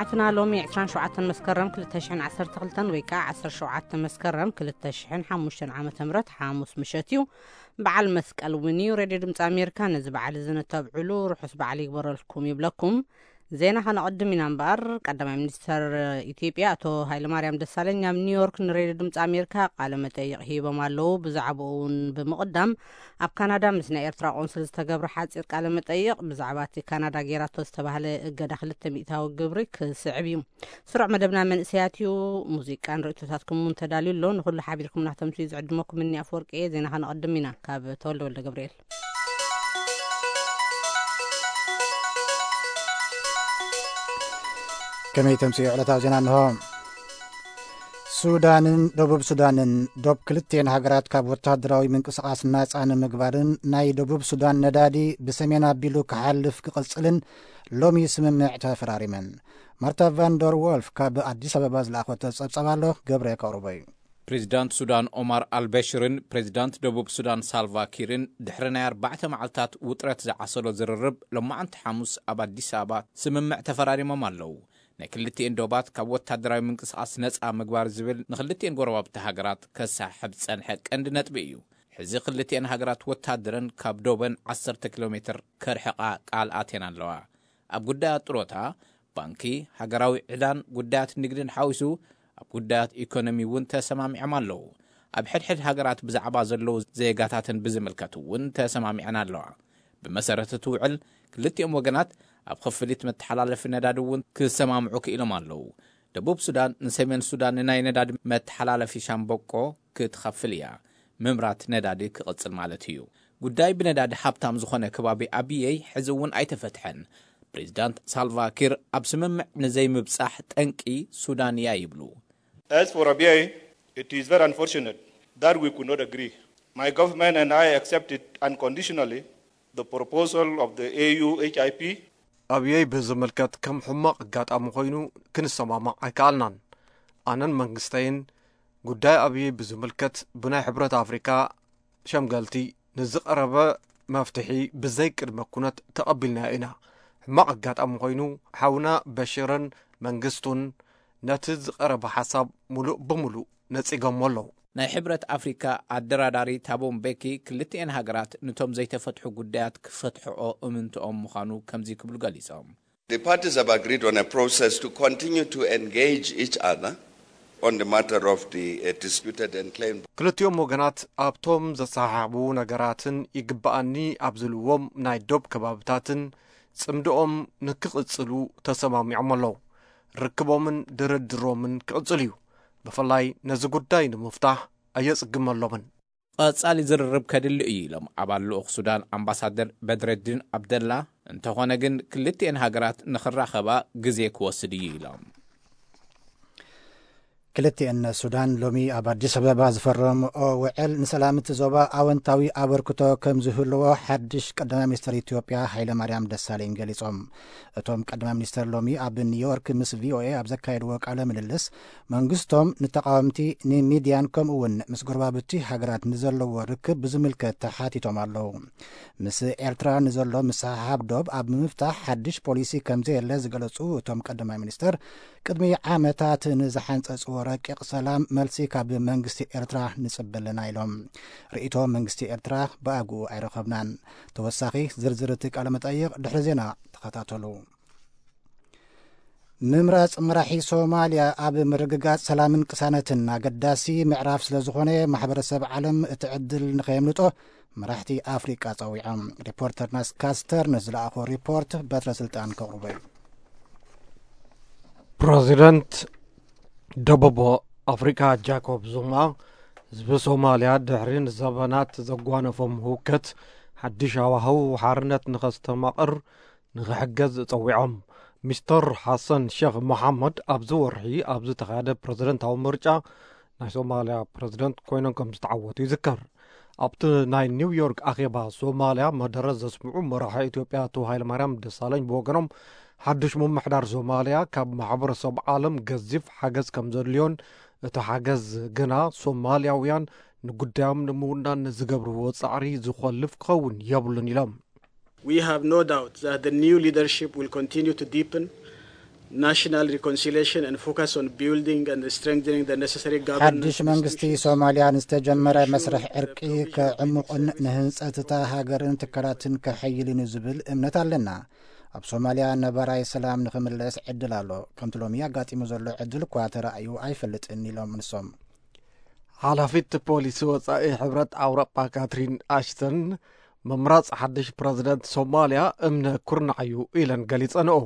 ኣትና ሎሚ ዕስራን ሸውዓተን መስከረም ክልተ ሽሕን ዓሰርተ ክልተን ወይ ከዓ ዓሰርተ ሸውዓተ መስከረም ክልተ ሽሕን ሓሙሽተን ዓመተ ምህረት ሓሙስ ምሸት እዩ። በዓል መስቀል እውን እዩ። ሬድዮ ድምፂ ኣሜሪካ ነዚ በዓል እዚ ነተብዕሉ ርሑስ በዓል ይግበረልኩም ይብለኩም። ዜና ከነቐድም ኢና እምበኣር፣ ቀዳማይ ሚኒስተር ኢትዮጵያ ኣቶ ሃይለማርያም ደሳለኝ ኣብ ኒውዮርክ ንሬድዮ ድምፂ ኣሜሪካ ቃለ መጠይቕ ሂቦም ኣለዉ። ብዛዕባኡ እውን ብምቕዳም ኣብ ካናዳ ምስ ናይ ኤርትራ ቆንስል ዝተገብረ ሓፂር ቃለ መጠይቕ ብዛዕባ እቲ ካናዳ ጌራቶ ዝተባህለ እገዳ ክልተ ሚእታዊ ግብሪ ክስዕብ እዩ። ስሩዕ መደብና መንእሰያት እዩ። ሙዚቃን ርእይቶታትኩም እውን ተዳልዩ ኣሎ። ንኹሉ ሓቢርኩም ናተምሱ እዩ ዝዕድመኩም። እኒ ኣፈወርቂ እየ። ዜና ከነቐድም ኢና ካብ ተወልደ ወልደ ገብርኤል። ከመይ ተምስዮ ዕለታዊ ዜና እንሆ። ሱዳንን ደቡብ ሱዳንን ዶብ ክልቲኤን ሃገራት ካብ ወታደራዊ ምንቅስቓስ ናጻ ንምግባርን ናይ ደቡብ ሱዳን ነዳዲ ብሰሜን ኣቢሉ ክሓልፍ ክቕጽልን ሎሚ ስምምዕ ተፈራሪመን። ማርታ ቫንደር ወልፍ ካብ ኣዲስ ኣበባ ዝለኣኸቶ ጸብጻብ ኣሎ፣ ገብረ ከቕርቦ እዩ። ፕሬዚዳንት ሱዳን ኦማር ኣልበሽርን ፕሬዚዳንት ደቡብ ሱዳን ሳልቫ ኪርን ድሕሪ ናይ ኣርባዕተ መዓልታት ውጥረት ዝዓሰሎ ዝርርብ፣ ሎማዓንቲ ሓሙስ ኣብ ኣዲስ ኣበባ ስምምዕ ተፈራሪሞም ኣለዉ። ናይ ክልቲኤን ዶባት ካብ ወታደራዊ ምንቅስቓስ ነጻ ምግባር ዝብል ንክልቲኤን ጎረባብቲ ሃገራት ከሳሕብ ዝጸንሐ ቀንዲ ነጥቢ እዩ። ሕዚ ክልቲኤን ሃገራት ወታደረን ካብ ዶበን ዓሰርተ ኪሎ ሜትር ከርሕቓ ቃል ኣትየን ኣለዋ። ኣብ ጉዳያት ጥሮታ፣ ባንኪ፣ ሃገራዊ ዕዳን ጉዳያት ንግድን ሓዊሱ ኣብ ጉዳያት ኢኮኖሚ እውን ተሰማሚዖም ኣለዉ። ኣብ ሕድሕድ ሃገራት ብዛዕባ ዘለዉ ዜጋታትን ብዝምልከት እውን ተሰማሚዐን ኣለዋ። ብመሰረት እቲ ውዕል፣ ክልቲኦም ወገናት ኣብ ክፍሊት መተሓላለፊ ነዳዲ እውን ክሰማምዑ ክኢሎም ኣለዉ። ደቡብ ሱዳን ንሰሜን ሱዳን ንናይ ነዳዲ መተሓላለፊ ሻምበቆ ክትኸፍል እያ። ምምራት ነዳዲ ክቕጽል ማለት እዩ። ጉዳይ ብነዳዲ ሃብታም ዝኾነ ከባቢ ኣብየይ ሕዚ እውን ኣይተፈትሐን። ፕሬዚዳንት ሳልቫ ኪር ኣብ ስምምዕ ንዘይምብጻሕ ጠንቂ ሱዳን እያ ይብሉ። As for Abyei, it is very unfortunate that we could not agree. My government and I accepted unconditionally the proposal of the A U H I P. ኣብየይ ብዝምልከት ከም ሕማቕ ኣጋጣሚ ኮይኑ ክንሰማማዕ ኣይከኣልናን። ኣነን መንግስተይን ጉዳይ ኣብየይ ብዝምልከት ብናይ ሕብረት ኣፍሪካ ሸምገልቲ ንዝቐረበ መፍትሒ ብዘይ ቅድመ ኩነት ተቐቢልናዮ ኢና። ሕማቕ ኣጋጣሚ ኮይኑ ሓውና በሽርን መንግስቱን ነቲ ዝቐረበ ሓሳብ ሙሉእ ብሙሉእ ነጺጎሞ ኣለዉ። ናይ ሕብረት ኣፍሪካ ኣደራዳሪ ታቦ ምቤኪ ክልቲኤን ሃገራት ንቶም ዘይተፈትሑ ጉዳያት ክፈትሕኦ እምንትኦም ምዃኑ ከምዚ ክብሉ ገሊጾም። The parties have agreed on a process to continue to engage each other on the matter of the, uh, disputed and claimed. ክልቲኦም ወገናት ኣብቶም ዘሰሓሕቡ ነገራትን ይግብኣኒ ኣብ ዝብልዎም ናይ ዶብ ከባብታትን ጽምድኦም ንክቕጽሉ ተሰማሚዖም ኣለዉ። ርክቦምን ድርድሮምን ክቕጽል እዩ። ብፍላይ ነዚ ጉዳይ ንምፍታሕ ኣየጽግመሎምን። ቀጻሊ ዝርርብ ከድሊ እዩ ኢሎም ኣባል ልኡኽ ሱዳን ኣምባሳደር በድረዲን ኣብደላ። እንተኾነ ግን ክልቲኤን ሃገራት ንኽራኸባ ግዜ ክወስድ እዩ ኢሎም። ክልቲኤን ሱዳን ሎሚ ኣብ ኣዲስ ኣበባ ዝፈረምኦ ውዕል ንሰላም እቲ ዞባ ኣወንታዊ ኣበርክቶ ከም ዝህልዎ ሓድሽ ቀዳማይ ሚኒስትር ኢትዮጵያ ሃይለማርያም ደሳለኝ ገሊጾም። እቶም ቀዳማይ ሚኒስትር ሎሚ ኣብ ኒውዮርክ ምስ ቪኦኤ ኣብ ዘካየድዎ ቃለ ምልልስ መንግስቶም ንተቃወምቲ ንሚድያን ከምኡ እውን ምስ ጎረባብቲ ሃገራት ንዘለዎ ርክብ ብዝምልከት ተሓቲቶም ኣለዉ። ምስ ኤርትራ ንዘሎ ምስሕሓብ ዶብ ኣብ ምፍታሕ ሓድሽ ፖሊሲ ከምዘየለ ዝገለጹ እቶም ቀዳማይ ሚኒስትር ቅድሚ ዓመታት ንዝሓንጸጽዎ ረቂቕ ሰላም መልሲ ካብ መንግስቲ ኤርትራ ንጽበ ኣለና ኢሎም። ርእይቶ መንግስቲ ኤርትራ ብኣግኡ ኣይረኸብናን። ተወሳኺ ዝርዝር እቲ ቃለ መጠይቕ ድሕሪ ዜና ተኸታተሉ። ምምራጽ መራሒ ሶማልያ ኣብ ምርግጋጽ ሰላምን ቅሳነትን ኣገዳሲ ምዕራፍ ስለ ዝኾነ ማሕበረሰብ ዓለም እቲ ዕድል ንኸየምልጦ መራሕቲ ኣፍሪቃ ጸዊዖም። ሪፖርተርና ስካስተር ንዝለኣኾ ሪፖርት በትረ ስልጣን ከቕርቦ እዩ። ፕረዚደንት ደቡብ ኣፍሪካ ጃኮብ ዙማ ህዝቢ ሶማልያ ድሕሪ ንዘበናት ዘጓነፎም ህውከት ሓድሽ ሃዋህው ሓርነት ንኸስተማቕር ንኽሕገዝ ጸዊዖም። ሚስተር ሓሰን ሸኽ መሓመድ ኣብዚ ወርሒ ኣብ ዝተኻየደ ፕረዚደንታዊ ምርጫ ናይ ሶማልያ ፕረዚደንት ኮይኖም ከም ዝተዓወቱ ይዝከር። ኣብቲ ናይ ኒውዮርክ ኣኼባ ሶማልያ መደረ ዘስምዑ መራሒ ኢትዮጵያ ኣቶ ሃይለማርያም ደሳለኝ ብወገኖም ሓድሽ ምምሕዳር ሶማልያ ካብ ማሕበረሰብ ዓለም ገዚፍ ሓገዝ ከም ዘድልዮን እቲ ሓገዝ ግና ሶማልያውያን ንጉዳዮም ንምውናን ንዝገብርዎ ጻዕሪ ዝኾልፍ ክኸውን የብሉን ኢሎም። We have no doubt that the new leadership will continue to deepen national reconciliation and focus on building and strengthening the necessary governance ሓድሽ መንግስቲ institutions. ሶማልያ ንዝተጀመረ መስርሕ ዕርቂ ከዕሙቕን ንህንጸት እታ ሃገርን ትካላትን ከሐይልን እዩ ዝብል እምነት ኣለና። ኣብ ሶማልያ ነባራይ ሰላም ንኽምለስ ዕድል ኣሎ። ከምቲ ሎሚ ኣጋጢሙ ዘሎ ዕድል እኳ ተራእዩ ኣይፈልጥን ኢሎም ንሶም። ሓላፊት ፖሊሲ ወጻኢ ሕብረት ኣውሮጳ ካትሪን ኣሽተን ምምራጽ ሓድሽ ፕረዚደንት ሶማልያ እምነ ኩርናዕ እዩ ኢለን ገሊጸንኦ።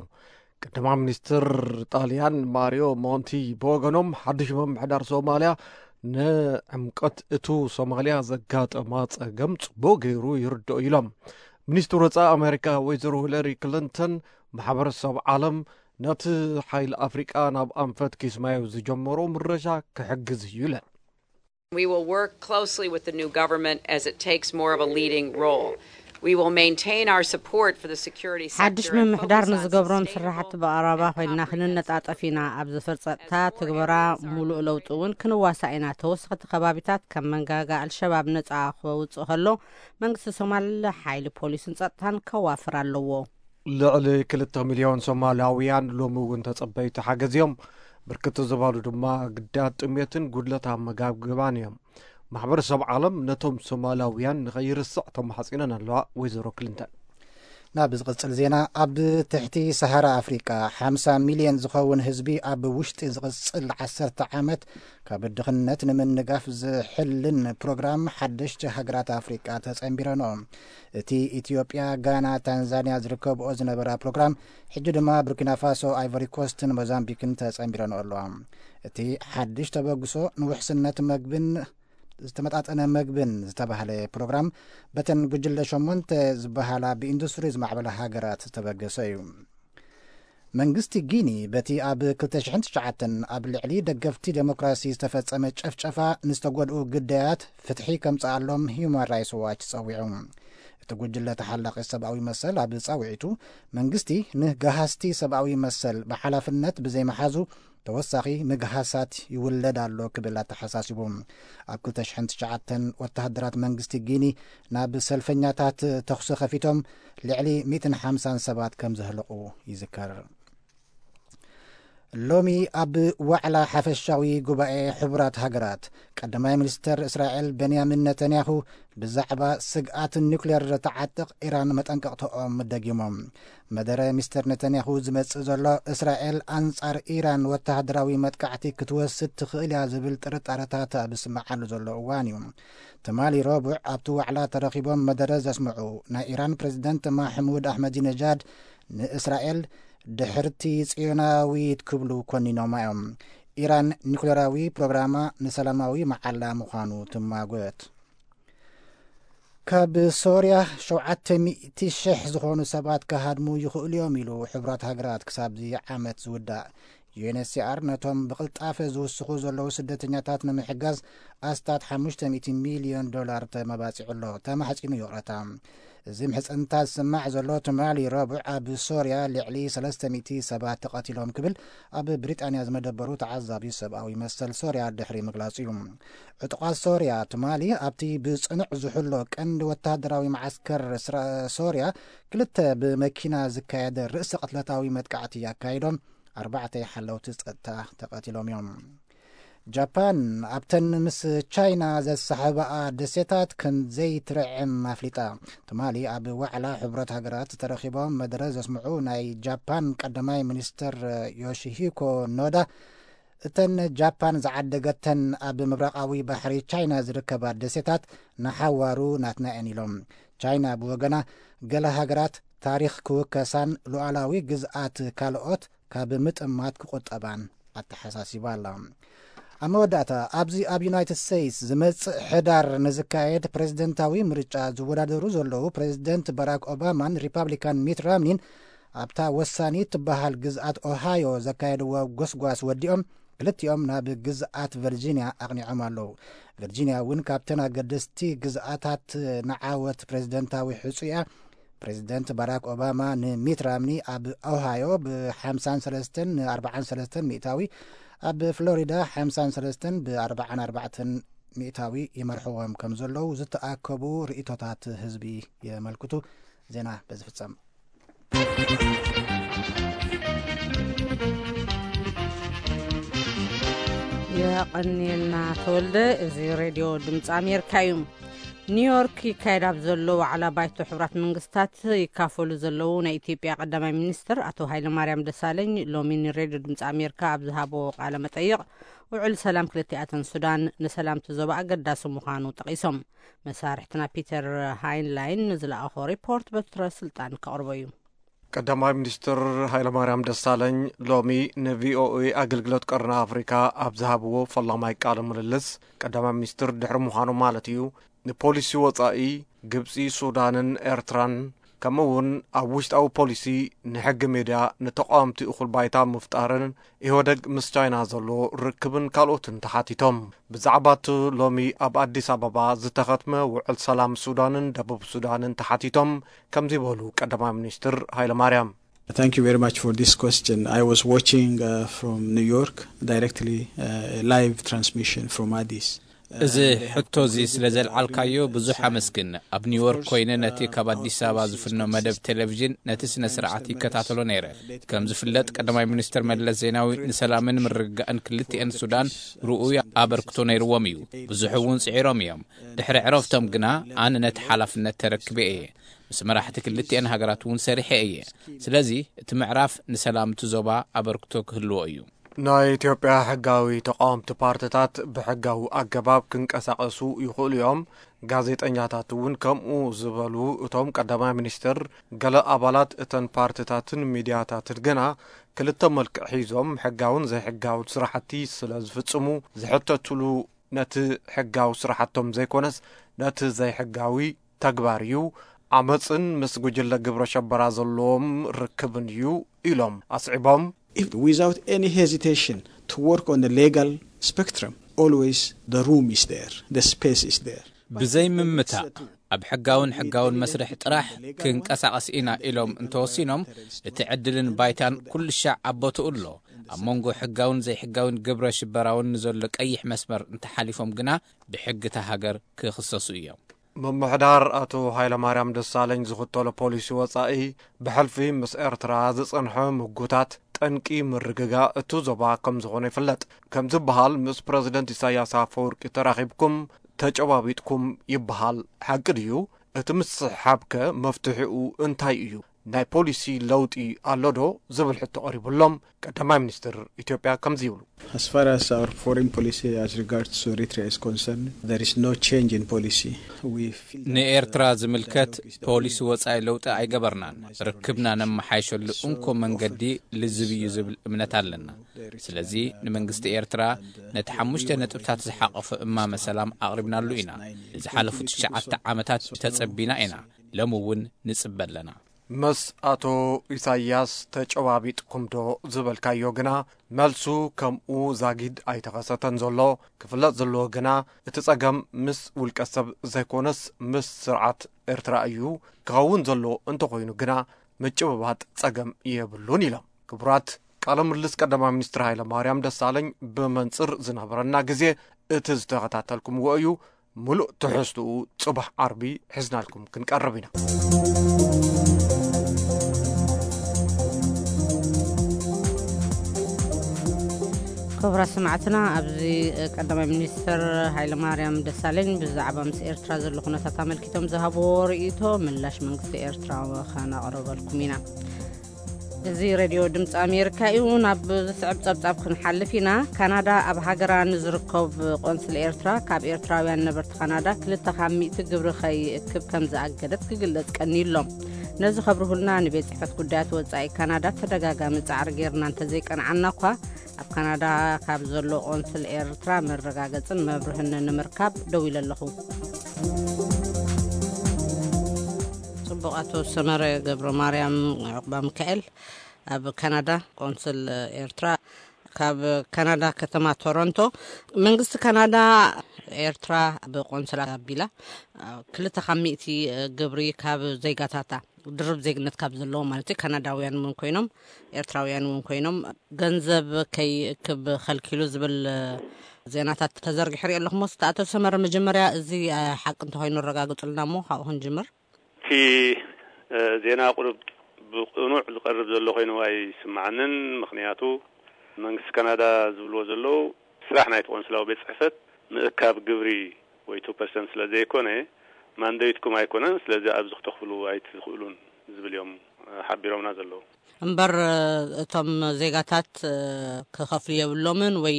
ቀዳማ ሚኒስትር ጣልያን ማሪዮ ሞንቲ ብወገኖም ሓድሽ ምምሕዳር ሶማልያ ንዕምቀት እቱ ሶማልያ ዘጋጠማ ጸገም ጽቡቕ ገይሩ ይርድኦ ኢሎም። ሚኒስትር ወጻኢ ኣሜሪካ ወይዘሮ ሂለሪ ክሊንተን ማሕበረሰብ ዓለም ነቲ ሓይሊ ኣፍሪቃ ናብ ኣንፈት ኪስማዮ ዝጀመሮ ምረሻ ክሕግዝ እዩ ኢለን። We will work closely with the new government as it takes more of a leading role. We will maintain our support for the security sector ሓድሽ ምምሕዳር ንዝገብሮም ስራሕቲ ብቐረባ ኮይንና ክንነጣጠፍ ኢና። ኣብ ዘፈር ጸጥታ ትግበራ ሙሉእ ለውጢ እውን ክንዋሳእ ኢና። ተወሰኽቲ ከባቢታት ከም መንጋጋ ኣልሸባብ ነጻ ክወጽእ ከሎ መንግስቲ ሶማል ሓይሊ ፖሊስን ጸጥታን ከዋፍር ኣለዎ። ልዕሊ ክልተ ሚልዮን ሶማላውያን ሎሚ እውን ተጸበይቲ ሓገዝ እዮም። ብርክት ዝበሉ ድማ ግዳያት ጥሜትን ጉድለት ኣመጋግባን እዮም። ማሕበረሰብ ዓለም ነቶም ሶማላውያን ንኸይርስዕ ተማሕጺነን ኣለዋ። ወይዘሮ ክሊንተን ናብ ዝቕጽል ዜና፣ ኣብ ትሕቲ ሰሃራ ኣፍሪቃ ሓምሳ ሚልዮን ዝኸውን ህዝቢ ኣብ ውሽጢ ዝቕጽል ዓሰርተ ዓመት ካብ ድኽነት ንምንጋፍ ዝሕልን ፕሮግራም ሓደሽቲ ሃገራት ኣፍሪቃ ተጸንቢረንኦ። እቲ ኢትዮጵያ፣ ጋና፣ ታንዛንያ ዝርከብኦ ዝነበራ ፕሮግራም ሕጂ ድማ ቡርኪና ፋሶ፣ ኣይቨሪ ኮስትን ሞዛምቢክን ተጸንቢረንኦ ኣለዋ። እቲ ሓድሽ ተበግሶ ንውሕስነት መግብን ዝተመጣጠነ መግብን ዝተባህለ ፕሮግራም በተን ጉጅለ ሸሞንተ ዝበሃላ ብኢንዱስትሪ ዝማዕበላ ሃገራት ዝተበገሰ እዩ። መንግስቲ ጊኒ በቲ ኣብ ክልተ ሽሕን ትሽዓተን ኣብ ልዕሊ ደገፍቲ ዴሞክራሲ ዝተፈጸመ ጨፍጨፋ ንዝተጎድኡ ግዳያት ፍትሒ ከምጽኣሎም ሂዩማን ራይትስ ዋች ጸዊዑ። እቲ ጉጅለ ተሓላቒ ሰብኣዊ መሰል ኣብ ጻውዒቱ መንግስቲ ንገሃስቲ ሰብኣዊ መሰል ብሓላፍነት ብዘይመሓዙ ተወሳኺ ምግሃሳት ይውለድ ኣሎ ክብል ኣተሓሳሲቡ። ኣብ ክልተ ሽሕን ትሽዓተን ወተሃደራት መንግስቲ ጊኒ ናብ ሰልፈኛታት ተኹሲ ከፊቶም ልዕሊ ሚእትን ሓምሳን ሰባት ከም ዘህለቑ ይዝከር። ሎሚ ኣብ ዋዕላ ሓፈሻዊ ጉባኤ ሕቡራት ሃገራት ቀዳማይ ሚኒስተር እስራኤል ቤንያሚን ነተንያሁ ብዛዕባ ስግኣት ኒውክሌር ትዓጥቕ ኢራን መጠንቀቕተኦም ደጊሞም። መደረ ሚስተር ነተንያሁ ዝመጽእ ዘሎ እስራኤል ኣንጻር ኢራን ወተሃደራዊ መጥቃዕቲ ክትወስድ ትኽእል እያ ዝብል ጥርጣረታት ኣብ ዝስምዓሉ ዘሎ እዋን እዩ። ትማሊ ረቡዕ ኣብቲ ዋዕላ ተረኺቦም መደረ ዘስምዑ ናይ ኢራን ፕሬዝደንት ማሕሙድ ኣሕመዲነጃድ ንእስራኤል ድሕርቲ ጽዮናዊት ክብሉ ኮኒኖማ እዮም። ኢራን ኒኩሌራዊ ፕሮግራማ ንሰላማዊ መዓላ ምዃኑ ትማጎት። ካብ ሶርያ ሸውዓተ ሚእቲ ሽሕ ዝኾኑ ሰባት ክሃድሙ ይኽእሉ እዮም ኢሉ ሕቡራት ሃገራት ክሳብ እዚ ዓመት ዝውዳእ። ዩ ኤን ኤች ሲ ኣር ነቶም ብቕልጣፈ ዝውስኹ ዘለዉ ስደተኛታት ንምሕጋዝ ኣስታት ሓሙሽተ ሚእቲ ሚልዮን ዶላር ተመባጺዑ ኣሎ፣ ተማሕጺኑ ይቕረታ። እዚ ምሕጽንታ ዝስማዕ ዘሎ ትማሊ ረቡዕ ኣብ ሶርያ ልዕሊ ሰለስተ ሚእቲ ሰባት ተቐቲሎም ክብል ኣብ ብሪጣንያ ዝመደበሩ ተዓዛቢ ሰብኣዊ መሰል ሶርያ ድሕሪ ምግላጹ እዩ። ዕጡቓት ሶርያ ትማሊ ኣብቲ ብጽኑዕ ዝሕሎ ቀንዲ ወተሃደራዊ መዓስከር ስራ-፣ ሶርያ ክልተ ብመኪና ዝካየደ ርእሰ ቅትለታዊ መጥቃዕቲ ኣካይዶም ኣርባዕተ ሓለውቲ ጸጥታ ተቐቲሎም እዮም። ጃፓን ኣብተን ምስ ቻይና ዘሰሓብኣ ደሴታት ከም ዘይትርዕም ኣፍሊጣ። ትማሊ ኣብ ዋዕላ ሕቡራት ሃገራት ተረኺቦም መደረ ዘስምዑ ናይ ጃፓን ቀዳማይ ሚኒስትር ዮሺሂኮ ኖዳ፣ እተን ጃፓን ዝዓደገተን ኣብ ምብራቓዊ ባሕሪ ቻይና ዝርከባ ደሴታት ንሓዋሩ ናትና እየን ኢሎም። ቻይና ብወገና፣ ገለ ሃገራት ታሪኽ ክውከሳን ሉዓላዊ ግዝኣት ካልኦት ካብ ምጥማት ክቑጠባን ኣተሓሳሲባ ኣላ። ኣብ መወዳእታ፣ ኣብዚ ኣብ ዩናይትድ ስቴትስ ዝመጽእ ሕዳር ንዝካየድ ፕሬዝደንታዊ ምርጫ ዝወዳደሩ ዘለዉ ፕሬዝደንት ባራክ ኦባማን ሪፓብሊካን ሚት ራምኒን ኣብታ ወሳኒ ትበሃል ግዝኣት ኦሃዮ ዘካየድዎ ጎስጓስ ወዲኦም ክልቲኦም ናብ ግዝኣት ቨርጂንያ ኣቕኒዖም ኣለዉ። ቨርጂንያ እውን ካብተን ኣገደስቲ ግዝኣታት ንዓወት ፕሬዝደንታዊ ሕጹ እያ። ፕሬዝደንት ባራክ ኦባማ ንሚት ራምኒ ኣብ ኦሃዮ ብ-ሓምሳን ሰለስተን ን-ኣርባዓን ሰለስተን ሚእታዊ፣ ኣብ ፍሎሪዳ ሓምሳን ሰለስተን ብ-ኣርባዓን ኣርባዕተን ሚእታዊ ይመርሕዎም ከም ዘለዉ ዝተኣከቡ ርእይቶታት ህዝቢ የመልክቱ። ዜና በዚ ፍጸም። የቐንየልና ተወልደ። እዚ ሬድዮ ድምፂ ኣሜሪካ እዩ። ኒውዮርክ ይካየድ ኣብ ዘሎ ዋዕላ ባይቶ ሕቡራት መንግስታት ይካፈሉ ዘለዉ ናይ ኢትዮጵያ ቀዳማይ ሚኒስትር ኣቶ ሃይለማርያም ደሳለኝ ሎሚ ንሬድዮ ድምፂ ኣሜሪካ ኣብ ዝሃቦ ቃለ መጠይቕ፣ ውዕል ሰላም ክልቲኣተን ሱዳን ንሰላምቲ ዞባ ኣገዳሲ ምዃኑ ጠቒሶም። መሳርሕትና ፒተር ሃይንላይን ንዝለኣኾ ሪፖርት በትረ ስልጣን ከቕርቦ እዩ። ቀዳማይ ሚኒስትር ሃይለማርያም ደሳለኝ ሎሚ ንቪኦኤ ኣገልግሎት ቀርኒ ኣፍሪካ ኣብ ዝሃብዎ ፈላማይ ቃለ ምልልስ፣ ቀዳማይ ሚኒስትር ድሕሪ ምዃኑ ማለት እዩ፣ ንፖሊሲ ወፃኢ ግብፂ፣ ሱዳንን ኤርትራን፣ ከምኡ እውን ኣብ ውሽጣዊ ፖሊሲ ንሕጊ ሜድያ፣ ንተቃወምቲ እኹል ባይታ ምፍጣርን ኢህወደግ ምስ ቻይና ዘሎ ርክብን ካልኦትን ተሓቲቶም። ብዛዕባ እቲ ሎሚ ኣብ ኣዲስ ኣበባ ዝተኸትመ ውዕል ሰላም ሱዳንን ደቡብ ሱዳንን ተሓቲቶም ከምዚ በሉ ቀዳማይ ሚኒስትር ሃይለማርያም። Thank you very much for this question. I was watching uh, from New York directly uh, a live transmission from Addis. እዚ ሕቶ እዚ ስለ ዘልዓልካዮ ብዙሕ ኣመስግን። ኣብ ኒውዮርክ ኮይነ ነቲ ካብ ኣዲስ ኣበባ ዝፍኖ መደብ ቴሌቪዥን ነቲ ስነ ስርዓት ይከታተሎ ነይረ። ከም ዝፍለጥ ቀዳማይ ሚኒስትር መለስ ዜናዊ ንሰላምን ምርግጋእን ክልቲኤን ሱዳን ርኡይ ኣበርክቶ ነይርዎም እዩ። ብዙሕ እውን ጽዒሮም እዮም። ድሕሪ ዕረፍቶም ግና ኣነ ነቲ ሓላፍነት ተረክበ እየ። ምስ መራሕቲ ክልቲኤን ሃገራት እውን ሰሪሐ እየ። ስለዚ እቲ ምዕራፍ ንሰላም እቲ ዞባ ኣበርክቶ ክህልዎ እዩ። ናይ ኢትዮጵያ ሕጋዊ ተቃወምቲ ፓርትታት ብሕጋዊ ኣገባብ ክንቀሳቐሱ ይኽእሉ እዮም። ጋዜጠኛታት እውን ከምኡ ዝበሉ እቶም ቀዳማይ ሚኒስትር፣ ገለ ኣባላት እተን ፓርትታትን ሚድያታትን ግና ክልተ መልክዕ ሒዞም ሕጋውን ዘይሕጋውን ስራሕቲ ስለ ዝፍጽሙ ዝሕተትሉ ነቲ ሕጋዊ ስራሕቶም ዘይኮነስ ነቲ ዘይሕጋዊ ተግባር እዩ። ዓመፅን ምስ ጉጅለ ግብረ ሸበራ ዘለዎም ርክብን እዩ ኢሎም ኣስዒቦም። If, without any hesitation, to work on the legal spectrum, always the room is there, the space is there. ብዘይ ምምታእ ኣብ ሕጋውን ሕጋውን መስርሕ ጥራሕ ክንቀሳቐስ ኢና ኢሎም እንተወሲኖም፣ እቲ ዕድልን ባይታን ኩሉ ሻዕ ኣብ ቦትኡ ኣሎ። ኣብ መንጎ ሕጋውን ዘይሕጋውን ግብረ ሽበራውን ንዘሎ ቀይሕ መስመር እንተሓሊፎም ግና ብሕጊ እታ ሃገር ክኽሰሱ እዮም። ምምሕዳር ኣቶ ሃይለማርያም ደሳለኝ ዝኽተሎ ፖሊሲ ወጻኢ፣ ብሕልፊ ምስ ኤርትራ ዝጸንሐ ምጉታት ጠንቂ ምርግጋእ እቱ ዞባ ከም ዝኾነ ይፍለጥ። ከም ዝበሃል፣ ምስ ፕረዚደንት ኢሳያስ ኣፈወርቂ ተራኺብኩም፣ ተጨባቢጥኩም ይበሃል። ሓቂ ድዩ? እቲ ምስሕሓብከ መፍትሒኡ እንታይ እዩ? ናይ ፖሊሲ ለውጢ ኣሎ ዶ ዝብል ሕቶ ቀሪቡሎም፣ ቀዳማይ ሚኒስትር ኢትዮጵያ ከምዚ ይብሉ። As far as our foreign policy as regards to Eritrea is concerned, there is no change in policy. We feel that ንኤርትራ ዝምልከት ፖሊሲ ወጻኢ ለውጢ ኣይገበርናን። ርክብና ነመሓይሸሉ እንኮ መንገዲ ልዝብ እዩ ዝብል እምነት ኣለና። ስለዚ ንመንግስቲ ኤርትራ ነቲ ሓሙሽተ ነጥብታት ዝሓቐፈ እማመ ሰላም ኣቕሪብናሉ ኢና። ንዝሓለፉ ትሽዓተ ዓመታት ተጸቢና ኢና። ሎም እውን ንጽበ ኣለና። ምስ ኣቶ ኢሳያስ ተጨባቢጥኩም ዶ ዝበልካዮ ግና፣ መልሱ ከምኡ ዛጊድ ኣይተኸሰተን ዘሎ። ክፍለጥ ዘለዎ ግና፣ እቲ ጸገም ምስ ውልቀ ሰብ ዘይኮነስ፣ ምስ ስርዓት ኤርትራ እዩ። ክኸውን ዘለዎ እንተኾይኑ ግና፣ ምጭብባጥ ጸገም የብሉን ኢሎም። ክቡራት፣ ቃለ ምልልስ ቀዳማይ ሚኒስትር ሃይለ ማርያም ደሳለኝ ብመንጽር ዝነበረና ግዜ እቲ ዝተኸታተልኩምዎ እዩ። ምሉእ ትሕዝትኡ ጽባሕ ዓርቢ ሒዝናልኩም ክንቀርብ ኢና። ክቡራት ሰማዕትና፣ ኣብዚ ቀዳማይ ሚኒስትር ሃይለ ማርያም ደሳለኝ ብዛዕባ ምስ ኤርትራ ዘሎ ኩነታት ኣመልኪቶም ዝሃብዎ ርእይቶ ምላሽ መንግስቲ ኤርትራ ከነቕርበልኩም ኢና። እዚ ሬድዮ ድምፂ ኣሜሪካ እዩ። ናብ ዝስዕብ ጸብጻብ ክንሓልፍ ኢና። ካናዳ ኣብ ሃገራ ንዝርከብ ቆንስል ኤርትራ ካብ ኤርትራውያን ነበርቲ ካናዳ ክልተ ካብ ሚእቲ ግብሪ ከይእክብ ከም ዝኣገደት ክግለጽ ቀንዩ ኣሎ። ነዚ ከብርሁልና ንቤት ጽሕፈት ጉዳያት ወጻኢ ካናዳ ተደጋጋሚ ጻዕሪ ጌርና እንተዘይቀንዓና እኳ፣ ኣብ ካናዳ ካብ ዘሎ ቆንስል ኤርትራ መረጋገጽን መብርህን ንምርካብ ደዊለ ኣለኹ። ጽቡቕ። ኣቶ ሰመረ ገብረ ማርያም ዑቕባ ሚካኤል፣ ኣብ ካናዳ ቆንስል ኤርትራ፣ ካብ ካናዳ ከተማ ቶሮንቶ። መንግስቲ ካናዳ ኤርትራ ብቆንስል ኣቢላ ክልተ ካብ ሚእቲ ግብሪ ካብ ዜጋታታ፣ ድርብ ዜግነት ካብ ዘለዎም ማለት እዩ፣ ካናዳውያን እውን ኮይኖም ኤርትራውያን እውን ኮይኖም፣ ገንዘብ ከይእክብ ከልኪሉ ዝብል ዜናታት ተዘርጊሑ ርኢ ኣለኹ። ሞስ ኣቶ ሰመረ፣ መጀመርያ እዚ ሓቂ እንተኮይኑ ኣረጋግጹልና እሞ ካብኡ ክንጅምር። እቲ ዜና ቁሩብ ብቅኑዕ ዝቀርብ ዘሎ ኮይኑ ኣይስምዓንን። ምኽንያቱ መንግስቲ ካናዳ ዝብልዎ ዘለዉ ስራሕ ናይቲ ቆንስላዊ ቤት ጽሕፈት ምእካብ ግብሪ ወይ ቱ ፐርሰንት ስለ ዘይኮነ ማንደይትኩም ኣይኮነን፣ ስለዚ ኣብዚ ክተኽፍሉ ኣይትኽእሉን ዝብል እዮም ሓቢሮምና ዘለዉ። እምበር እቶም ዜጋታት ክኸፍሉ የብሎምን ወይ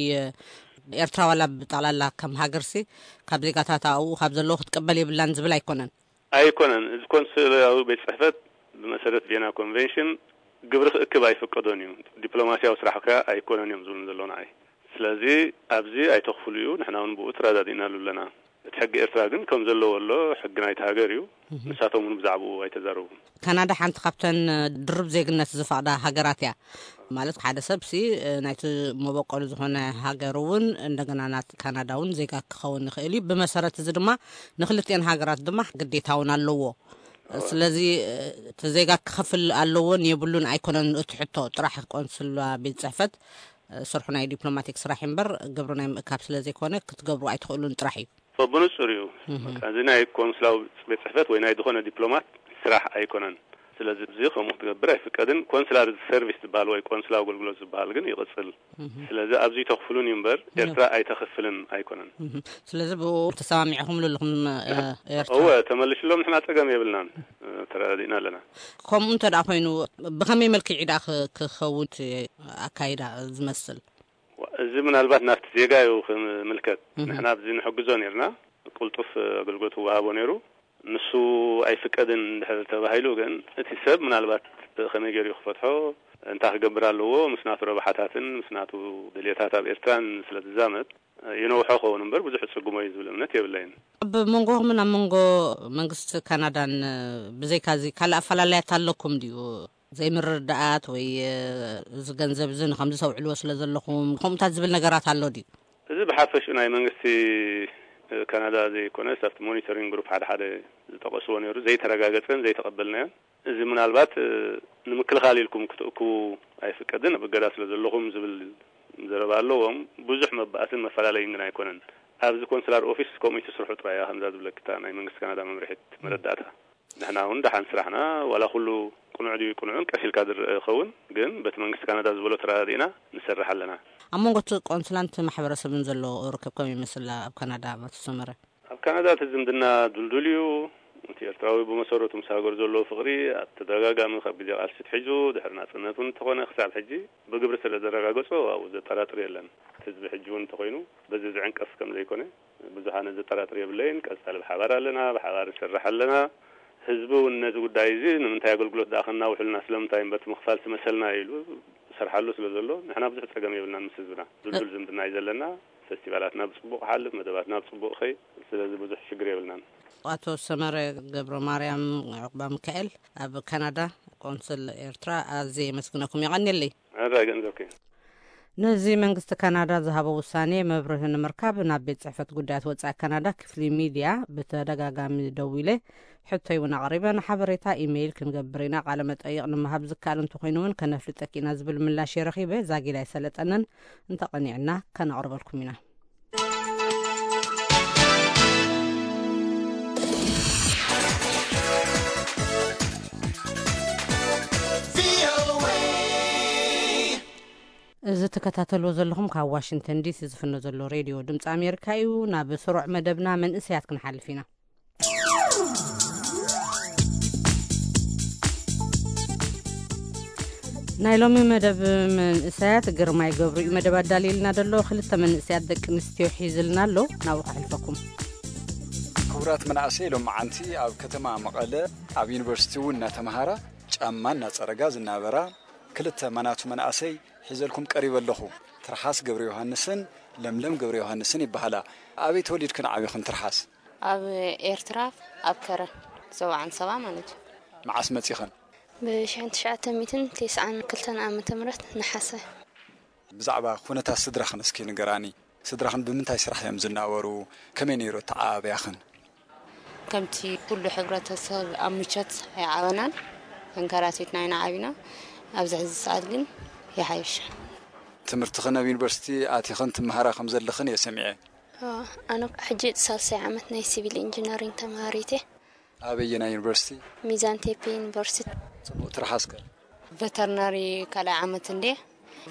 ኤርትራ ዋላ ብጠቕላላ ከም ሃገርሲ ካብ ዜጋታት ኣብኡ ካብ ዘለዉ ክትቅበል የብላን ዝብል ኣይኮነን። ኣይኮነን። እዚ ኮንስላዊ ቤት ጽሕፈት ብመሰረት ቬና ኮንቨንሽን ግብሪ ክእክብ ኣይፈቀዶን እዩ። ዲፕሎማሲያዊ ስራሕ ከ ኣይኮነን እዮም ዝብሉ ዘለዉ ንዓይ። ስለዚ ኣብዚ ኣይተኽፍሉ እዩ፣ ንሕና እውን ብኡ ተረዳዲእናሉ ኣለና። እቲ ሕጊ ኤርትራ ግን ከም ዘለዎ ኣሎ፣ ሕጊ ናይቲ ሃገር እዩ። ንሳቶም እውን ብዛዕባኡ ኣይተዛረቡን። ካናዳ ሓንቲ ካብተን ድርብ ዜግነት ዝፈቕዳ ሃገራት እያ። ማለት ሓደ ሰብሲ ናይቲ መበቆሉ ዝኾነ ሃገር እውን እንደገና ናት ካናዳ እውን ዜጋ ክኸውን ይኽእል እዩ። ብመሰረት እዚ ድማ ንክልቲኤን ሃገራት ድማ ግዴታ እውን ኣለዎ። ስለዚ እቲ ዜጋ ክኸፍል ኣለዎን የብሉን ኣይኮነን እቲ ሕቶ፣ ጥራሕ ቆንስላ ቤት ጽሕፈት ስርሑ ናይ ዲፕሎማቲክ ስራሕ እምበር ግብሪ ናይ ምእካብ ስለ ዘይኮነ ክትገብሩ ኣይትኽእሉን ጥራሕ እዩ። ብንጹር እዩ። እዚ ናይ ኮንስላዊ ቤት ጽሕፈት ወይ ናይ ዝኾነ ዲፕሎማት ስራሕ ኣይኮነን። ስለዚ እዚ ከምኡ ክትገብር ኣይፍቀድን። ኮንስላር ሰርቪስ ዝበሃል ወይ ቆንስላዊ ኣገልግሎት ዝበሃል ግን ይቕጽል። ስለዚ ኣብዚ ተኽፍሉን እዩ እምበር ኤርትራ ኣይተኽፍልን ኣይኮነን። ስለዚ ብኡ ተሰማሚዕኹምሉ ኣለኹም? ኤርትራ እወ፣ ተመልሽሎም፣ ንሕና ጸገም የብልናን። ተረዳዲእና ኣለና። ከምኡ እንተ ደኣ ኮይኑ ብኸመይ መልክዕ እዩ ደኣ ክኸውን ኣካይዳ ዝመስል? እዚ ምናልባት ናብቲ ዜጋ እዩ ክምልከት። ንሕና ኣብዚ ንሕግዞ ነርና፣ ቅልጡፍ ኣገልግሎት ይወሃቦ ነይሩ። ንሱ ኣይፍቀድን እንድሕር ተባሂሉ ግን እቲ ሰብ ምናልባት ከመይ ገይሩ ክፈትሖ፣ እንታይ ክገብር ኣለዎ፣ ምስ ናቱ ረብሓታትን ምስ ናቱ ድልየታት ኣብ ኤርትራን ስለ ዝዛመድ ይነውሖ ኸውን እምበር ብዙሕ ጽጉሞ እዩ ዝብል እምነት የብለይን። ኣብ መንጎኹምን ኣብ መንጎ መንግስቲ ካናዳን ብዘይካዚ ካልእ ኣፈላለያት ኣለኩም ድዩ? ዘይምርድዳኣት ወይ እዚ ገንዘብ እዚ ንኸምዚ ተውዕልዎ ስለ ዘለኹም ከምኡታት ዝብል ነገራት ኣሎ ድዩ? እዚ ብሓፈሽኡ ናይ መንግስቲ ካናዳ ዘይኮነስ ኣብቲ ሞኒተሪንግ ግሩፕ ሓደ ሓደ ዝጠቐስዎ ነይሩ፣ ዘይተረጋገጸን ዘይተቐበልናዮን። እዚ ምናልባት ንምክልኻል ኢልኩም ክትእክቡ ኣይፍቀድን፣ ኣብ እገዳ ስለ ዘለኹም ዝብል ዘረባ ኣለዎም። ብዙሕ መባእስን መፈላለይን ግን ኣይኮነን። ኣብዚ ኮንስላር ኦፊስ ከምኡ ትስርሑ ጥራይ እያ ከምዛ ዝብለክታ ናይ መንግስቲ ካናዳ መምርሒት መረዳእታ። ንሕና እውን ደሓን ስራሕና ዋላ ኩሉ ቅኑዕ ድዩ ቅኑዕን ቀስ ኢልካ ዝረአ ይኸውን፣ ግን በቲ መንግስቲ ካናዳ ዝበሎ ተረዳዲእና ንሰርሕ ኣለና። ኣብ መንጎ እቲ ቆንስላን እቲ ማሕበረሰብን ዘሎ ርክብ ከመይ ይመስል ኣብ ካናዳ ኣቶ ሰመረ? ኣብ ካናዳ እቲ ዝምድና ድልዱል እዩ። እቲ ኤርትራዊ ብመሰረቱ ምስ ሃገሩ ዘለዎ ፍቕሪ ኣብ ተደጋጋሚ ካብ ግዜ ቃልሲ ኣትሒዙ ድሕሪ ናጽነት እውን እንተኾነ ክሳብ ሕጂ ብግብሪ ስለ ዘረጋገጾ ኣብኡ ዘጠራጥር የለን። እቲ ህዝቢ ሕጂ እውን እንተኾይኑ በዚ ዝዕንቀፍ ከም ዘይኮነ ብዙሓነ ዘጠራጥር የብለይን። ቀጻሊ ብሓባር ኣለና፣ ብሓባር ንሰርሕ ኣለና። ህዝቢ እውን ነዚ ጉዳይ እዚ ንምንታይ ኣገልግሎት ደኣ ከናውሕልና ስለምንታይ እምበር እቲ ምኽፋል ትመሰልና ኢሉ ይሰርሓሉ ስለ ዘሎ ንሕና ብዙሕ ጸገም የብልናን ምስ ህዝብና። ድልዱል ዝምድና እዩ ዘለና። ፈስቲቫላትና ብጽቡቕ ክሓልፍ፣ መደባትና ብጽቡቕ ኸይ ስለዚ ብዙሕ ሽግር የብልናን። ኣቶ ሰመረ ገብረ ማርያም ዑቕባ ሚካኤል ኣብ ካናዳ ቆንስል ኤርትራ ኣዝየ የመስግነኩም። የቐንየለይ። ሕራይ ገንዘብኪ። ነዚ መንግስቲ ካናዳ ዝሃቦ ውሳኔ መብርሂ ንምርካብ ናብ ቤት ጽሕፈት ጉዳያት ወጻኢ ካናዳ ክፍሊ ሚድያ ብተደጋጋሚ ደዊለ ሕቶይ እውን ኣቕሪበ ንሓበሬታ ኢሜይል ክንገብር ኢና፣ ቃለ መጠይቕ ንምሃብ ዝከኣል እንተኾይኑ እውን ከነፍልጠኪ ኢና ዝብል ምላሽ የረኺበ። ዛጊድ ኣይሰለጠንን፣ እንተቐኒዕና ከነቕርበልኩም ኢና። እዚ ትከታተልዎ ዘለኹም ካብ ዋሽንግተን ዲሲ ዝፍኖ ዘሎ ሬድዮ ድምፂ ኣሜሪካ እዩ። ናብ ስሩዕ መደብና መንእሰያት ክንሓልፍ ኢና። ናይ ሎሚ መደብ መንእሰያት ግርማይ ገብሩ እዩ መደብ ኣዳልዩልና ዘሎ። ክልተ መንእሰያት ደቂ ኣንስትዮ ሒዝልና ኣሎ፣ ናብኡ ከሕልፈኩም። ክቡራት መናእሰይ ሎመዓንቲ ኣብ ከተማ መቐለ ኣብ ዩኒቨርሲቲ እውን እናተምሃራ ጫማ እናፀረጋ ዝናበራ ክልተ ማናቱ መናእሰይ ሒዘልኩም ቀሪበ ኣለኹ። ትርሓስ ገብረ ዮሃንስን ለምለም ገብረ ዮሃንስን ይበሃላ። ኣበይ ተወሊድክን ዓቢኽን ትርሓስ? ኣብ ኤርትራ ኣብ ከረን ሰብዓን ሰባ ማለት እዩ። መዓስ መጺኽን? ብ ሽሕን ትሽዓተ ሚእትን ተስዓን ክልተን ዓመተ ምህረት ነሓሰ። ብዛዕባ ኩነታት ስድራኽን እስኪ ንገራኒ። ስድራኽን ብምንታይ ስራሕ እዮም ዝናበሩ? ከመይ ነይሩ ኣተዓባብያኽን? ከምቲ ኩሉ ሕብረተሰብ ኣብ ምቾት ኣይዓበናን፣ ተንከራቲትና ኢና ዓቢና። ኣብዚ ሕዚ ሰዓት ግን ይሓይሽ። ትምህርትኽን ኣብ ዩኒቨርሲቲ ኣቲኽን ትመሃራ ከም ዘለኽን እየ ሰሚዐ። ኣነ ሕጂ ሳልሳይ ዓመት ናይ ሲቪል ኢንጂነሪንግ ተምሃሪት እየ። ኣበየናይ ዩኒቨርሲቲ? ሚዛን ቴፒ ዩኒቨርሲቲ። ጽቡቕ፣ ትርሓስከ? ቨተርነሪ ካልኣይ ዓመት እንዴ፣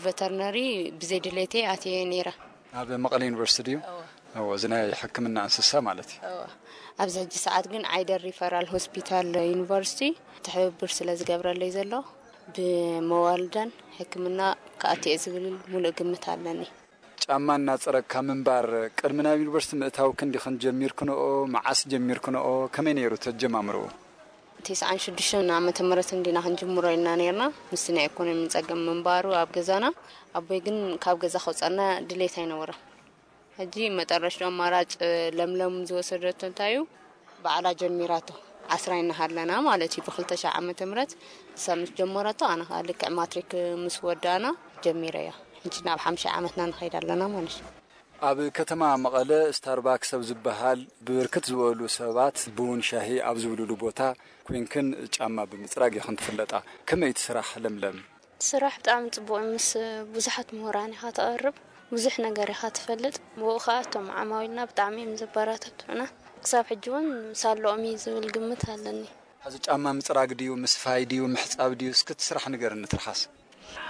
ቨተርነሪ ብዘይ ድሌተይ ኣትየ ነይረ። ኣብ መቐለ ዩኒቨርሲቲ ድዩ? እዎ፣ እዚ ናይ ሕክምና እንስሳ ማለት እዩ። እዎ። ኣብዚ ሕጂ ሰዓት ግን ዓይደር ሪፈራል ሆስፒታል ዩኒቨርሲቲ ትሕብብር ስለ ዝገብረለይ ዘሎ፣ ብመዋልደን ሕክምና ክኣቲ እየ ዝብል ሙሉእ ግምት ኣለኒ። ጫማ እናጸረግካ ምንባር ቅድሚ ናብ ዩኒቨርሲቲ ምእታው ክንዲ ጀሚርክንኦ፣ መዓስ ጀሚርክንኦ፣ ከመይ ነይሩ ተጀማምርኡ? ተስዓን ሽዱሽተን ዓመተ ምህረት እንዲና ክንጅምሮ ኢልና ነርና። ምስቲ ናይ ኢኮኖሚ ጸገም ምንባሩ ኣብ ገዛና፣ ኣቦይ ግን ካብ ገዛ ከውጸና ድሌት ኣይነበረ። ሕጂ መጠረሽዶ ኣማራጭ ለምለም ዝወሰደቶ እንታይ እዩ? ባዕላ ጀሚራቶ። ዓስራ እናሃለና ማለት እዩ፣ ብ ክልተ ሽሕ ዓመተ ምህረት ንሳ ምስ ጀመረቶ፣ ኣነ ኸኣ ልክዕ ማትሪክ ምስ ወዳእና ጀሚረያ። ሕጂ ናብ ሓምሻይ ዓመትና ንኸይድ ኣለና ማለት እዩ። ኣብ ከተማ መቐለ ስታርባክስ ኣብ ዝበሃል ብብርክት ዝበሉ ሰባት ቡን ሻሂ ኣብ ዝብልሉ ቦታ ኮይንክን ጫማ ብምጽራግ ኢኽን ትፍለጣ። ከመይ እቲ ስራሕ ለምለም? ስራሕ ብጣዕሚ ጽቡቕ እዩ። ምስ ብዙሓት ምሁራን ኢኻ ተቐርብ፣ ብዙሕ ነገር ኢኻ ትፈልጥ። ብኡ ኸኣ እቶም ዓማዊልና ብጣዕሚ እዮም ዘበረታትዑና። ክሳብ ሕጂ እውን ሳለኦም እዩ ዝብል ግምት ኣለኒ። ሕዚ ጫማ ምጽራግ ድዩ፣ ምስፋይ ድዩ፣ ምሕጻብ ድዩ? እስኪ እቲ ስራሕ ንገርኒ ትርሓስ።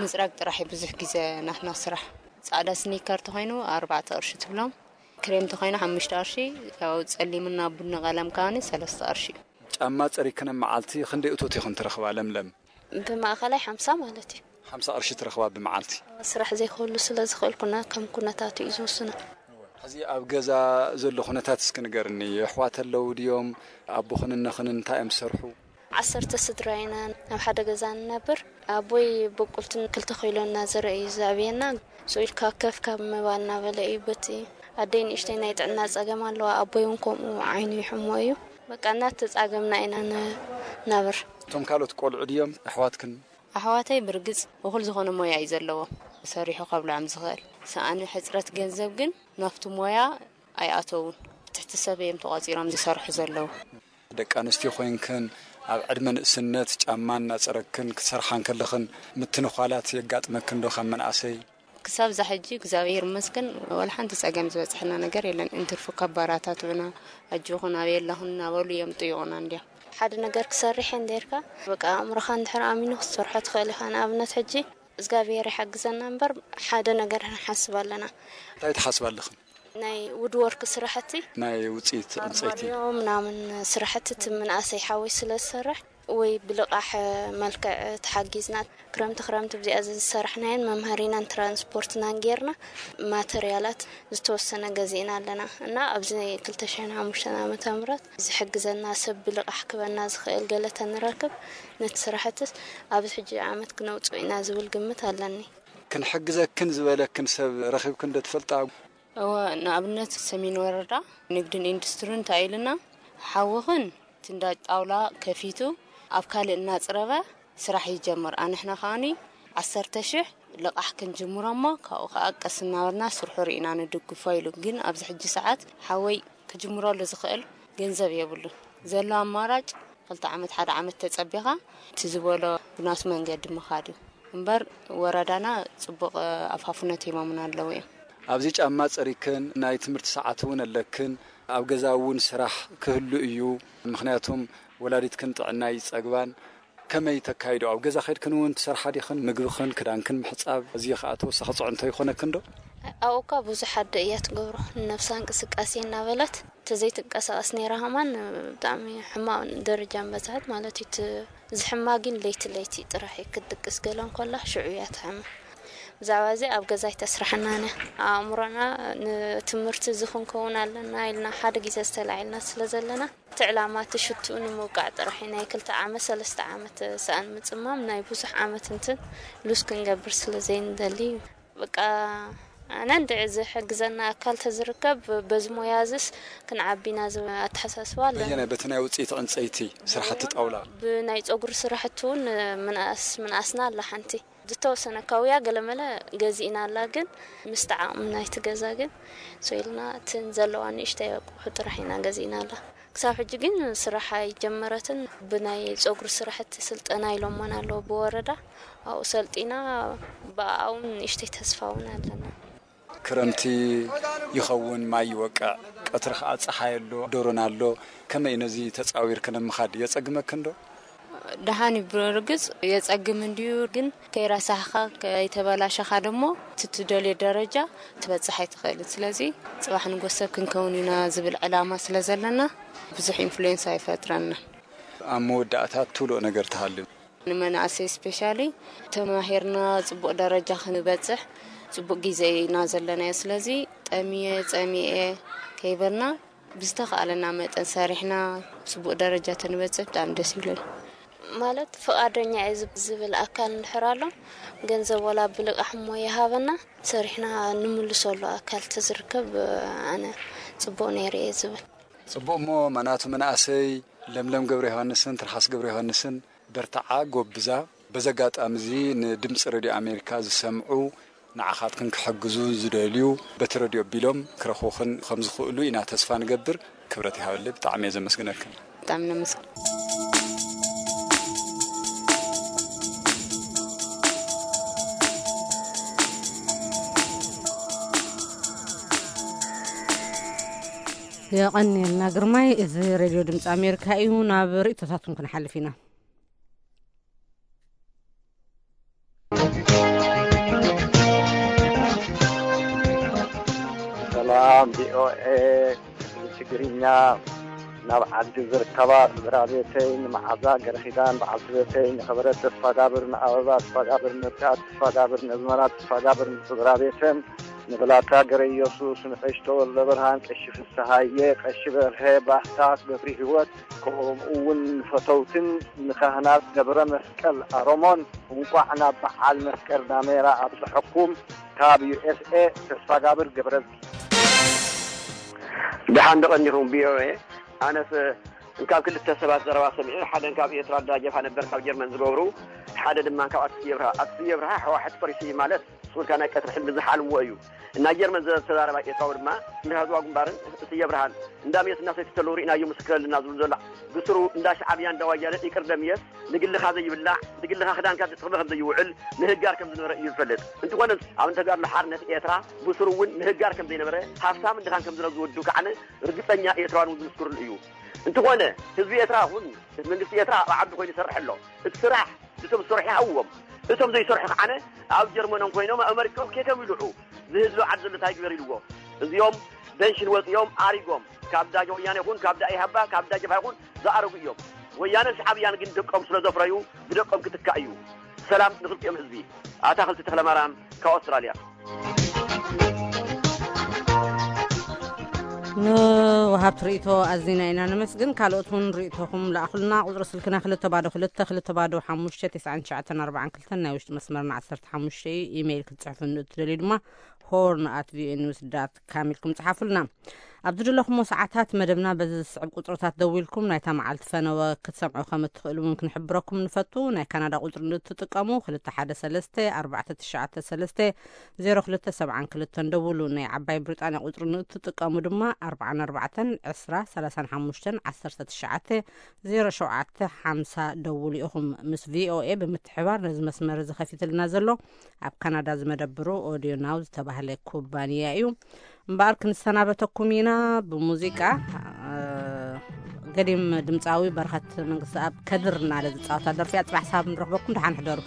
ምጽራግ ጥራሕ እዩ ብዙሕ ግዜ ናትና ስራሕ። ጻዕዳ ስኒከር ተኾይኑ ኣርባዕተ ቅርሺ ትብሎም፣ ክሬም ተኾይኑ ሓሙሽተ ቅርሺ፣ ያው ጸሊምና ቡኒ ቀለም ከኣኒ ሰለስተ ቅርሺ እዩ። ጫማ ጸሪክን ኣብ መዓልቲ ክንደይ እቶት ኢኹን ትረኽባ ለምለም? ብማእኸላይ ሓምሳ ማለት እዩ። ሓምሳ ቅርሺ ትረኽባ ብመዓልቲ? ስራሕ ዘይክህሉ ስለ ዝኽእል ኩነ-፣ ከም ኩነታቱ እዩ ዝውስኖ። ሕዚ ኣብ ገዛ ዘሎ ኩነታት እስኪ ንገርኒ። ኣሕዋት ኣለዉ ድዮም? ኣቦኽን እነኽን እንታይ እዮም ዝሰርሑ? ዓሰርተ ስድራ ኢና ኣብ ሓደ ገዛ ንነብር። ኣቦይ በቁልትን ክልተ ኪሎ እናዘርአ እዩ ዘዕብየና። ስኡ ኢልካ ከፍ ካብ ምባል እናበለ እዩ። በቲ ኣደይ ንእሽተይ ናይ ጥዕና ጸገም ኣለዋ። ኣቦይ እውን ከምኡ ዓይኑ ይሕሞ እዩ። በቃ እናተጻገምና ኢና ንነብር። እቶም ካልኦት ቆልዑ ድዮም ኣሕዋትክን? ኣሕዋተይ ብርግጽ እኹል ዝኾነ ሞያ እዩ ዘለዎም። ሰሪሑ ከብልዖም ዝኽእል። ሰኣነ ሕጽረት ገንዘብ ግን ናብቲ ሞያ ኣይኣተውን። ትሕቲ ሰብ እዮም ተቖጺሮም ዝሰርሑ ዘለዉ። ደቂ ኣንስትዮ ኮይንክን ኣብ ዕድመ ንእስነት ጫማ እናጸረግክን ክትሰርሓ እንከለኽን ምትንዃላት የጋጥመክን ዶ ካብ መናእሰይ? ክሳብ እዛ ሕጂ እግዚኣብሔር ይመስገን ዋላ ሓንቲ ጸገም ዝበጽሐና ነገር የለን። እንትርፉ ከባራታትዑና፣ ኣጆኹን ኣበይ ኣለኹን እናበሉ እዮም ጥይቑና እንድዮም። ሓደ ነገር ክሰርሕ እየ እንዴርካ፣ በቃ ኣእምሮኻ እንድሕር ኣሚኑ ክትሰርሖ ትኽእል ኢኻ። ንኣብነት ሕጂ እግዚኣብሔር ይሓግዘና እምበር ሓደ ነገር ንሓስብ ኣለና። እንታይ ትሓስብ ኣለኽን? ናይ ውድወርክ ስራሕቲ ናይ ውፅኢት ዕንፀይቲ ኣርማድዮ ምናምን ስራሕቲ እቲ ምንኣሰይ ሓወይ ስለ ዝሰርሕ ወይ ብልቓሕ መልክዕ ተሓጊዝና ክረምቲ ክረምቲ ብዚኣ ዝሰራሕናየን መምሃሪናን ትራንስፖርትናን ጌርና ማተርያላት ዝተወሰነ ገዚእና ኣለና እና ኣብዚ ክልተ ሽሕን ሓሙሽተን ዓመተ ምህረት ዝሕግዘና ሰብ ብልቓሕ ክበና ዝኽእል ገለ ተንረክብ ነቲ ስራሕትስ ኣብዚ ሕጂ ዓመት ክነውፅኦ ኢና ዝብል ግምት ኣለኒ። ክንሕግዘክን ዝበለክን ሰብ ረኺብክን ዶ ትፈልጣ? እወ፣ ንኣብነት ሰሜን ወረዳ ንግድን ኢንዱስትሪን እንታይ ኢልና፣ ሓውኽን እቲ እንዳ ጣውላ ከፊቱ ኣብ ካልእ እናጽረበ ስራሕ ይጀምር። ኣንሕና ከኣኒ ዓሰርተ ሽሕ ልቓሕ ክንጅምሮ እሞ ካብኡ ከኣ ቀስ እናበልና ስርሑ ርኢና ንድግፎ ኢሉ። ግን ኣብዚ ሕጂ ሰዓት ሓወይ ክጅምረሉ ዝኽእል ገንዘብ የብሉን። ዘሎ ኣማራጭ ክልተ ዓመት ሓደ ዓመት ተጸቢኻ እቲ ዝበሎ ብናቱ መንገዲ ምኻድ እዩ። እምበር ወረዳና ጽቡቕ ኣፋፍነት ሂቦምና ኣለዉ እዮም። ኣብዚ ጫማ ጸሪክን ናይ ትምህርቲ ሰዓት እውን ኣለክን፣ ኣብ ገዛ እውን ስራሕ ክህሉ እዩ። ምኽንያቱም ወላዲትክን ጥዕና ይጸግባን። ከመይ ተካይዶ? ኣብ ገዛ ከድክን እውን ትሰርሓ ዲኽን? ምግብኽን ክዳንክን ምሕጻብ፣ እዚ ኸኣ ተወሳኺ ጽዕንቶ ይኾነክን ዶ? ኣብኡ እኳ ብዙሕ ኣደ እያ ትገብሮ። ንነብሳ እንቅስቃሴ እናበለት ተዘይትንቀሳቐስ ነይራ ከማን ብጣዕሚ ሕማቕ ደረጃ በጽሐት ማለት እዩ። እቲ ዝሕማ ግን ለይቲ ለይቲ ጥራሕ እዩ። ክትድቅስ ገለ እንኮላ ሽዑ እያ ትሕማ። ብዛዕባ እዚ ኣብ ገዛ ኣይተስርሐናን እያ። ኣእምሮና ንትምህርቲ እዚ ክንከውን ኣለና ኢልና ሓደ ግዜ ዝተላዒልና ስለ ዘለና እቲ ዕላማ እቲ ሽትኡ ንምውቃዕ ጥራሕ እዩ። ናይ ክልተ ዓመት ሰለስተ ዓመት ሰኣን ምጽማም ናይ ብዙሕ ዓመት እንትን ሉዝ ክንገብር ስለ ዘይንደሊ እዩ። በቃ ኣነ እንድዒ ዝሕግዘና ኣካል ተዝርከብ በዚ ሞያ እዝስ ክንዓቢ ኢና ዝብል ኣተሓሳስባ ኣለኒ። በየናይ? በቲ ናይ ውፅኢት ዕንፀይቲ ስራሕቲ ጣውላ? ብናይ ፀጉሪ ስራሕቲ እውን ምንኣስ ምንኣስና ኣላ ሓንቲ ዝተወሰነ ካውያ ገለመለ ገዚእና ኣላ፣ ግን ምስቲ ዓቕሚ ናይቲ ገዛ ግን ሰው ኢልና እትን ዘለዋ ንእሽተይ ኣቑሑ ጥራሕ ኢና ገዚእና ኣላ። ክሳብ ሕጂ ግን ስራሕ ኣይጀመረትን። ብናይ ፀጉሪ ስራሕቲ ስልጠና ኢሎሞን ኣለዉ ብወረዳ፣ ኣብኡ ሰልጢና ብኣኣ እውን ንእሽተይ ተስፋ እውን ኣለና። ክረምቲ ይኸውን ማይ ይወቅዕ፣ ቀትሪ ኸዓ ፀሓይ ኣሎ፣ ደሮን ኣሎ። ከመይ ነዚ ተፃዊርክን ምኻድ የፀግመክን ዶ? ደሓን እዩ ብርግጽ፣ የጸግም እንድዩ፣ ግን ከይረሳሕኻ ከይተበላሸኻ ደሞ እቲ ትደልዮ ደረጃ ትበጽሕ ኣይትኽእልን። ስለዚ ጽባሕ ንጎሰብ ክንከውን ኢና ዝብል ዕላማ ስለ ዘለና ብዙሕ ኢንፍሉዌንስ ኣይፈጥረና። ኣብ መወዳእታ ትብልኦ ነገር ትሃሉ? ንመናእሰይ ስፔሻሊ ተማሂርና ጽቡቕ ደረጃ ክንበጽሕ ጽቡቕ ግዜ ኢና ዘለናዮ። ስለዚ ጠሚየ ጸሚኤ ከይበልና ብዝተኻእለና መጠን ሰሪሕና ጽቡቕ ደረጃ ተንበጽሕ ብጣዕሚ ደስ ይብለኒ። ማለት ፍቓደኛ እየ ዝብ- ዝብል ኣካል እንድሕር ኣሎ፣ ገንዘብ ወላ ብልቃሕ እሞ ይሃበና፣ ሰሪሕና ንምልሰሉ ኣካል ተዝርከብ ኣነ ጽቡቕ ነይሩ እየ ዝብል። ጽቡቕ እሞ ማናቱ መናእሰይ ለምለም ገብረ ዮሃንስን ትርሓስ ገብረ ዮሃንስን በርትዓ፣ ጎብዛ። በዚ ኣጋጣሚ እዚ ንድምፂ ሬድዮ ኣሜሪካ ዝሰምዑ ንዓኻትክን ክሕግዙ ዝደልዩ በቲ ረድዮ ኣቢሎም ክረኽቡኽን ከም ዝኽእሉ ኢና ተስፋ ንገብር። ክብረት ይሃበለይ። ብጣዕሚ እየ ዘመስግነክን። ብጣዕሚ ነመስግን። የቐንየልና ግርማይ። እዚ ሬድዮ ድምፂ ኣሜሪካ እዩ። ናብ ርእይቶታትኩም ክንሓልፍ ኢና። ሰላም ቪኦኤ ትግርኛ፣ ናብ ዓዲ ዝርከባ ስድራ ቤተይ ንመዓዛ ገረኺዳን በዓልቲ ቤተይ ንኽብረት ተስፋጋብር ንኣበባ ተስፋጋብር ንርትዓት ተስፋጋብር ነዝመራ ተስፋጋብር ንስድራ ቤተን ንብላታ ገረ ኢየሱስ ንቀሽ ተወልደ ብርሃን ቀሺ ፍስሃየ ቀሺ በርሀ ባህታ ገብሪ ህይወት ከምኡ እውን ንፈተውትን ንካህናት ገብረ መስቀል ኣሮሞን እንቋዕ ናብ በዓል መስቀል ዳሜራ ኣብፀሐኩም። ካብ ዩኤስኤ ተስፋጋብር ገብረዝጊ። ደሓን ደቐኒኹም ቪኦኤ። ኣነስ እንካብ ክልተ ሰባት ዘረባ ሰሚዐ፣ ሓደ እንካብ ኤርትራ ዳጀብሃ ነበር ካብ ጀርመን ዝገብሩ፣ ሓደ ድማ እንካብ ኣቶ ስየ ብርሃ። ኣቶ ስየ ብርሃ ሕዋሕት ፈሪሱ እዩ ማለት ስቁልካ ናይ ቀትሪ ሕልሚ ዝሓልምዎ እዩ። ናይ ጀርመን ዘተዛረባ ኤርትራዊ ድማ ንህዝባዊ ግንባርን ስየ ብርሃን እንዳሜስ እናሰትዩ ተለዉ ርኢናዮ ምስክር ኣለና ዝብሉ ዘሎ ብስሩ እንዳ ሻዕብያ እንዳ ዋያነ ይቅር ደምየስ ንግልኻ ዘይብላዕ ንግልኻ ክዳንካ ዝጥቕሚ ከም ዘይውዕል ምህጋር ከም ዝነበረ እዩ ዝፈልጥ። እንትኾነ ኣብ ተጋድሎ ሓርነት ኤርትራ ብስሩ እውን ምህጋር ከም ዘይነበረ ሃፍታም ድኻን ከም ዝነበረ ዝወዱ ከዓነ ርግፀኛ ኤርትራውያን እውን ዝምስክርሉ እዩ። እንትኾነ ህዝቢ ኤርትራ እውን መንግስቲ ኤርትራ ኣብ ዓዱ ኮይኑ ይሰርሕ ኣሎ። እቲ ስራሕ እቶም ዝሰርሑ ይሃብዎም፣ እቶም ዘይሰርሑ ከዓነ ኣብ ጀርመኖም ኮይኖም ኣመሪካኦም ኬቶም ይልዑ። ዝህዝቢ ዓዲ ዘሎ እንታይ ግበር ኢልዎ። እዚኦም በንሽን ወፂኦም ኣሪጎም ካብ ዳጀ ወያነ ይኹን ካብ ዳኢሃባ ካብ ዳጀብሃ ይኹን ዝኣረጉ እዮም። ወያነን ሻዕብያን ግን ደቆም ስለ ዘፍረዩ ብደቆም ክትካእ እዩ። ሰላም ንክልቲኦም ህዝቢ። ኣታኽልቲ ተኽለማርያም ካብ ኣውስትራልያ። ንወሃብቲ ርእይቶ ኣዚና ኢና ነመስግን። ካልኦት እውን ርእይቶኹም ለኣኹልና። ቁፅሪ ስልክና ክልተ ባዶ ክልተ ክልተ ባዶ ሓሙሽተ ተስዓን ትሽዓተን ኣርባዓን ክልተን፣ ናይ ውሽጢ መስመርና ዓሰርተ ሓሙሽተ እዩ። ኢሜይል ክትፅሕፉ ንእትደልዩ ድማ ሆርን ኣት ቪኦኤ ኒውስ ዳት ካም ኢልኩም ፅሓፉልና። ኣብ ዝደለኹሞ ሰዓታት መደብና በዚ ዝስዕብ ቁፅርታት ደዊልኩም ናይታ መዓልቲ ፈነወ ክትሰምዑ ከም እትኽእሉ እውን ክንሕብረኩም ንፈቱ። ናይ ካናዳ ቁፅሪ ንእትጥቀሙ ክልተ ሓደ ሰለስተ ኣርባዕተ ትሽዓተ ሰለስተ ዜሮ ክልተ ሰብዓን ክልተን ደውሉ። ናይ ዓባይ ብሪጣንያ ቁፅሪ ንእትጥቀሙ ድማ ኣርባዓን ኣርባዕተን ዕስራ ሰላሳን ሓሙሽተን ዓሰርተ ትሽዓተ ዜሮ ሸውዓተ ሓምሳ ደውሉ ኢኹም። ምስ ቪኦኤ ብምትሕባር ነዚ መስመር እዚ ከፊትልና ዘሎ ኣብ ካናዳ ዝመደብሩ ኦዲዮ ናው ዝተባህለ ኩባንያ እዩ። እምበኣር ክንሰናበተኩም ኢና ብሙዚቃ። ገዲም ድምፃዊ በረኸት መንግስቲ ኣብ ከድር እናለ ዝፃወታ ደርፊ እያ። ፅባሕ ሳብ ንረኽበኩም፣ ደሓን ሕደሩ።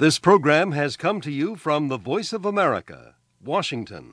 This program has come to you from the Voice of America, Washington.